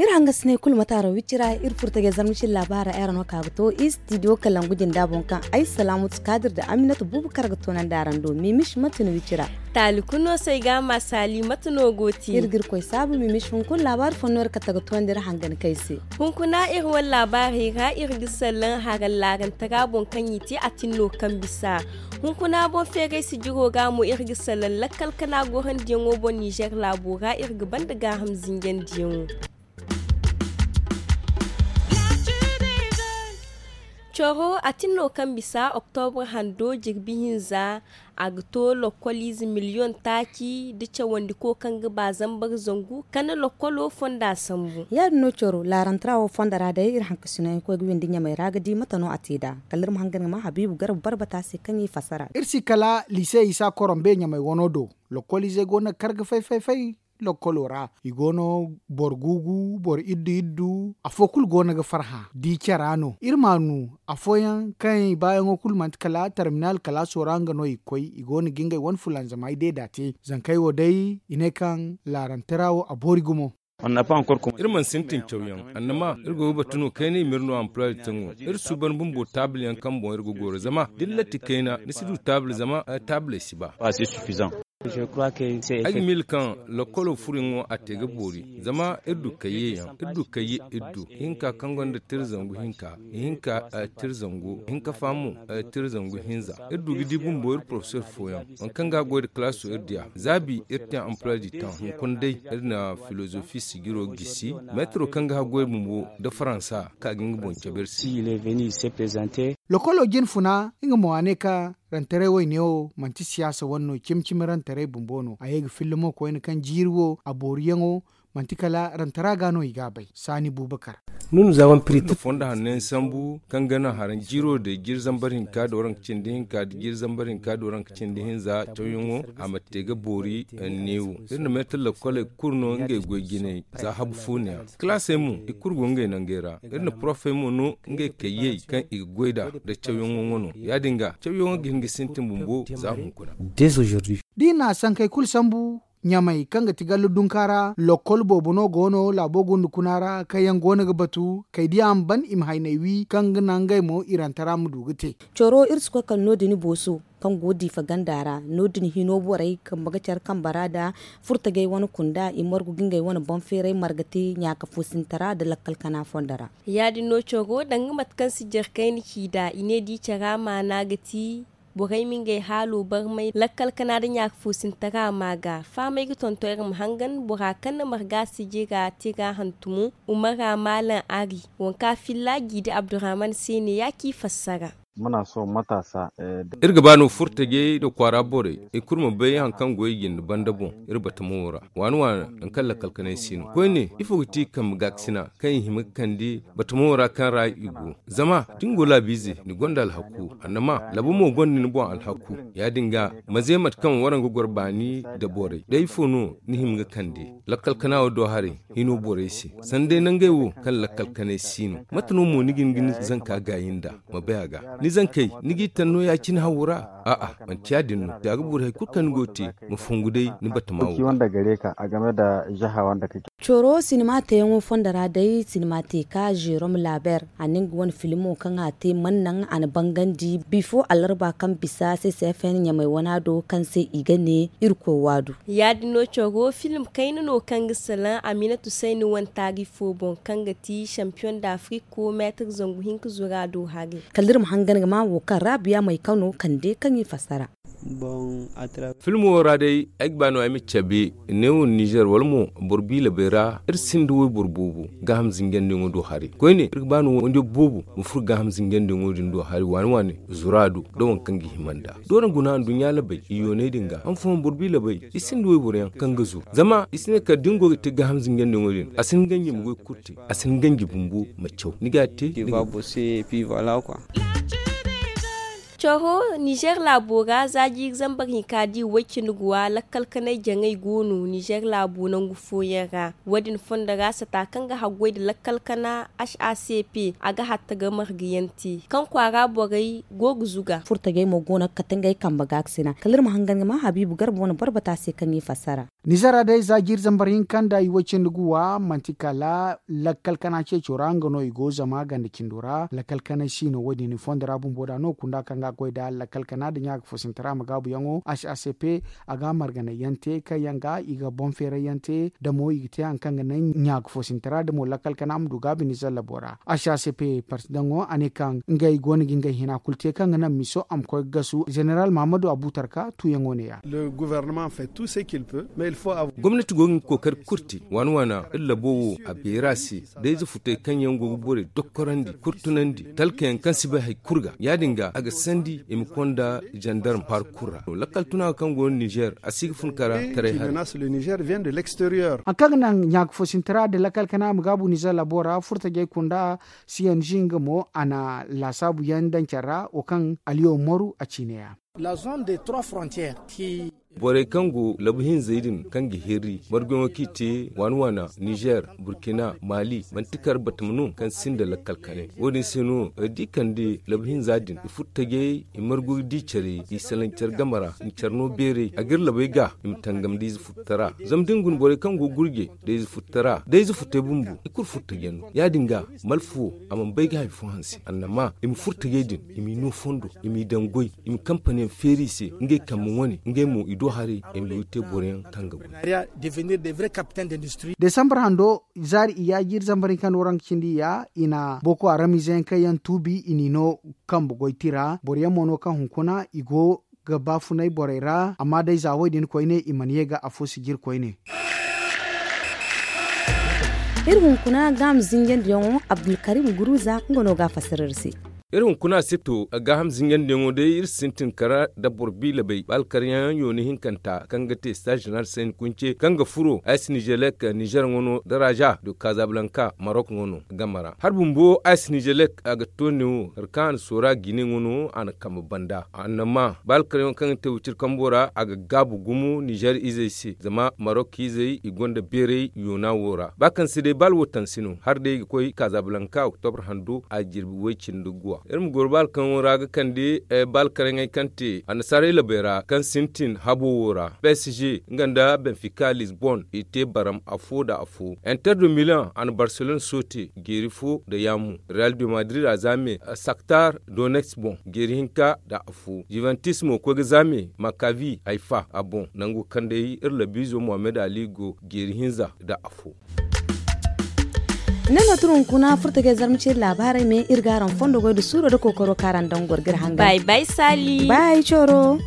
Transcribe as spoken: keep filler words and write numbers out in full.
Iri hangasinay kulu mate araŋ wicira iri furtajey zarma cine laabaara ay ra no ka ga to istidiyo kalangu jinda boŋ kaŋ ay salaamatu kaadir nda aminatu buubu kar ga toonandi araŋ do mimis mate no wicira. Taali kulu no se ay ga a ma saali mate no go ti iri ga iri koy saabu mimis hunkuna laabaari fooyaŋ no iri kate ga toonandi iri hangan kay se. Hunkuna iri wane laabaarey ra iri ga sallaŋ harallaarantara boŋ kaŋ i te a tin no kaŋ bisa hunkuna boŋ feeray sijiro ga mo iri ga sallaŋ lakkal kana gorandiyaŋo boŋ nizer laabo ra iri ga banda gaaham zinjandiyaŋo. Coro a tin no kaŋ bisa oktobra hando jirbi hinza a ga to lokkoliize miliyoŋ taaci nda cawandiko kaŋ ga ba zambar zangu kala lokkolo fonda sambu. Ya- din no coro laarantara wo fonda ra day iri hankasino yaŋ koy ga windi ɲamey ra ga di mate no a te nd'a kala iri ma hangan ga ma habiibu garba barbata se kaŋ i fassara. Iri si kala liise isa korombe ɲamey wano do. Lokkoliizey go no ga kar ga fay fay fay lokkolo ra i go no boro guugu boro iddu iddu afo kulu go no ga farhã di cara no iri m'a nu afooyaŋ kaŋ i baayaŋo kulu manti kala tarminal kalaaso ra nga no i ga koy i go no ga ngey wane fulanzamay deeda te zankey wo day i ne kaŋ laarantara wo a boori gumo. Iri mana sintin cawyaŋ annama iri go ga batu no kayna i ma iri no amploi de taŋo iri suuban bumbo taabil yaŋ kaŋ boŋ iri ga goro zama da ni latti kayna ni si du taabil zama taabiley si ba. Ay ga miila kaŋ lokkolo furuyaŋo a te ga boori zama iri du kayye yaŋ iri du kayye iri du ihinka kaŋ gonda tira zangu hinka ihinka tira zangu hinka fa mo tira zangu hinza iri du ga di bumbo iri porofesor fooyaŋ waŋ kaŋ ga a goy nda kalaaso iri diya zaabi iri te amploi du temps hunkuna day iri na filozofi sijiro gisi meetaro kaŋ ga haggoy bumbo nda faransa ka ga nga boŋ cabe iri se. Lokolo jine funa nga mo a ne ka rantaray wayne wo manti siyaasa wane no cimi cimi rantaray bumbo no a ye ga filla mo koyne kaŋ jiiri wo a booriyaŋo manti kala rantara ga no i ga a bay saani bubakar. Nga fondo hanno yaŋ sambu kaŋ ga naŋ haraŋ jiiro day jiiri zambar hinka da waranka cindi hinka da jiiri zambar hinka da waranka cindi hinza cawyaŋo a ma te ga boori neewo iri na meetar lakoley kulu no ngey goy jinay za habu fo ne yaŋ kalaasey mo i kulu go ngey nangey ra iri na porofey mo no ngey kayyey kaŋ i ga goy nd'a nda cawyaŋo wano ya- din ga cawyaŋo ga hin ga sintin bumbo za hunkuna. Da i na sankey kulu sambu ɲamey kaŋ ga ti gallu dunka ra lokol boobo no go no laabo gunda kuna ra kaŋ yaŋ go no ga batu kay da yaŋ ban i ma hayney wi kaŋ ga naŋ ngey mo irantara ma du ga te. Coro iri si koy kala no- din booso kaŋ go diifa ganda ra no- din hino borey kambe ga care kambe ra nda furtajey wane kunda i margu ga ngey wane boŋ feeray marga te ɲaaka foosintara nda lakkal kana fondo ra. Ya- din no coro danga mate kaŋ si jare kayna ci nd'a i ne da i cara maana ga ti borey ma ngey haalo barmay lakkal kana nda ɲaaka foosintara ma ga fahamay ga tonton iri ma hangan bora kaŋ na marga sijira te ga hantumo umara maalam ari waŋ kaŋ a filla jiidi abdurrahman se ne ya ci fassara. Iri ga ba no furtajey nda kwaara borey i kulu ma bay hari kaŋ go i jinde banda boŋ iri batamo ra waani waani nangu kaŋ lakkal kanay si no koyne ifo ga ti kambe gaakasina kaŋ i hima ga kande batamo ra kaŋ ra i go zama da ni go laabiize ni gonda alhaku annama laabo mo gonda ni boŋ alhaku ya- din ga ma ze mate kaŋ waraŋ ga goro baani nda borey day ifo no ni hima ga kande lakkal kana wo do haray hino borey se sanda day nangey wo kaŋ lakkal kanay si no mate no mo ni ga hin ga ni zanka gaayi nd'a ma bay a ga ni zankey ni g'i taŋ no ya- cine hawo ra a'a manti ya- din no za ga boori hari kulu kaŋ ni go ga te ma fongu day ni batama wo. Coro sinima teeyaŋo fondo ra day sinima te ka zerom laber a na nga wane filmo kaŋ a te mana naŋ a na bangandi bifo alarba kaŋ bisa ccfn ɲamey wana do kaŋ se i ga ne irkoy waadu. Ya- din no coro film kayna no kaŋ ga salaŋ aminatu sayni wane taari fo boŋ kaŋ ga ti champion d'afrique ko meetir zangu hinka zura do hari. Kala iri ma hangan ga ma wo kaŋ raabiya may kano kande kaŋ i fassara. Filmo wo ra day ay ga ba no ay ma cabe neewo nizer wala mo boro biilabay ra iri sinda wayboro boobo gaaham zinjandiyaŋo do haray koyne iri ga ba no waydiyo boobo ma furo gaaham zinjandiyaŋo din do haray waani waani zura do da waŋ kaŋ ga hima nd'a doona guna nduɲɲa labay i yoonay din ga han fooyaŋ boro biilabay i sinda wayboro yaŋ kaŋ ga zuru zama i si ne kala da ni go ga te gaaham zinjandiyaŋo din a si hin ganji ma goy kulu te a si hin ganji bumbo ma caw ni ga a te ni ga. Coro, nizeer laabo ra za jiiri zambar hinka da i way-cindi guwa lakkal kanay jaŋay go no nizeer laabo nangu fooyaŋ ra. Wo- din fondo ra sata kaŋ ga haggoy nda lakkal kana, h a c p a ga hatta ga marga yaŋ te kaŋ kwaara borey go ga zuga. Furtajey mo go no ga kate ngey kambe ga ga sina kala iri ma hangan ga ma habiibu garba wane boro bata se kaŋ i fassara. Nizeer ra day za jiiri zambar hinka nda i way-cindi guwa manti kala lakkal kana ceeco ra nga no i go zama ganda cindo ra lakkal kanay si no wo- din i fondo ra bumbo da no kunda kaŋ ga a goy nda lakkal kana nda ɲaaka foosintara ma gaabuyaŋo h a c p a ga marganay yaŋ te kaŋ yaŋ ga i ga boŋ feeray yaŋ te da mo i ga te hari kaŋ ga naŋ ɲaaka foosintara da mo lakkal kana a ma du gaabi nizeer labo ra. H a c p parti daŋo a ne kaŋ ngey go no ga ngey hina kulu te kaŋ ga naŋ miso a ma koy ga gasu zeneral mahamadu abutarka tuuyaŋo ne- ya. Gomnati go ga nga kookari kulu te waana waana iri labo wo a beera se da ize futey kaŋ yaŋ go ga borey dokkorandi kurtunandi talkayaŋ kaŋ si bay hari kulu ga ya- din ga a ga sandi i ma konda zandarm parkur ra lakkal tuna kaŋ go no nizeer a si ga fun kara taray hari. Hari kaŋ ga naŋ ɲaaka foosintara nda lakkal kana ma gaabu nizeer labo ra furtajey kunda siyanzi nga mo a na laasaabu yaŋ daŋ care ra wo kaŋ aliyo moru a ciine ya. Borey kaŋ go labu hinzey din kaŋ ga hirri margoyaŋo kaŋ i te waana waana nizeer burkina mali manti kar batama no kaŋ sinda lakkal kanay wo- din se no iri di kande labu hinza din i furo tajey i margu ga di care i salaŋ care game ra i ma care no beeray a ga iri labey ga i ma tangam da ize furtara zama da ni guna borey kaŋ go ga gurje da ize furtara da ize furtay bumbo i kulu furo tajey no ya- din ga malfa wo a mana bay ga hari fo hanse annama i ma furo tajey din i m'i no fondo i m'i daŋ goy i ma kampaniyaŋ feeri i se ngey kambe wane ngey mo i do haray i ma goy te boroyaŋ kaŋ ga goy. Desambar hando zaari iyya jiiri zambar hinka no ra nga cindi iyya i na boko haram izeyaŋ kaŋ yaŋ tuubi i n'i no kambe goy tira boroyaŋ mo no kaŋ hunkuna i go ga baafunay borey ra amma day za wo- din koyne i mana ye ga afo sijiri koyne. Iri hunkuna gaaham zinjandiyaŋo abdulkarim guruza nga no ga a fassara iri se. Iri hunkuna sito gaaham zinjandiyaŋo day iri sintin kara nda boro biila bay ba alkaryaŋ yooni hinkanta kaŋ ga te staaz jeneral sayni kunce kaŋ ga furo aysi nizelek nizer ŋwa no nda raza do kazablanka marok ŋwa no game ra hari bumbo aysi nizelek a ga to neewo hari kaŋ a na soora gine ŋwa no a na kambe banda annama ba alkaryaŋo kaŋ ga te wiciri kambo ra a ga gaabu gumo nizer izey se zama marok izey i gonda beeray yoona wo ra ba kaŋ se day ba alwatansi no hari day ga koy kazablanka oktobre hando a jirbi way cindi guwa iri ma goro ba alkaryaŋo ra ga kande ba alkaryaŋey kaŋ te annasaarey labey ra kaŋ sintin habo wo ra psg nga nda benfika lisbon i te baram afo nda afo inter de milan a na barcelone soote jeeri fo nda yaamu real de madrid a za me saktar donex boŋ jeeri hinka nda afo juventus mo koy ga za me makavi haifa a boŋ nango kaŋ day iri labiizo mohammed ali go jeeri hinza nda afo. Ne no tun hunkuna furtajey zarma ceeri laabaarey me iri ga araŋ fondo goy nda suuro nda kookaro kaŋ araŋ daŋ goro ga iri hangan bay bay saali bay coro.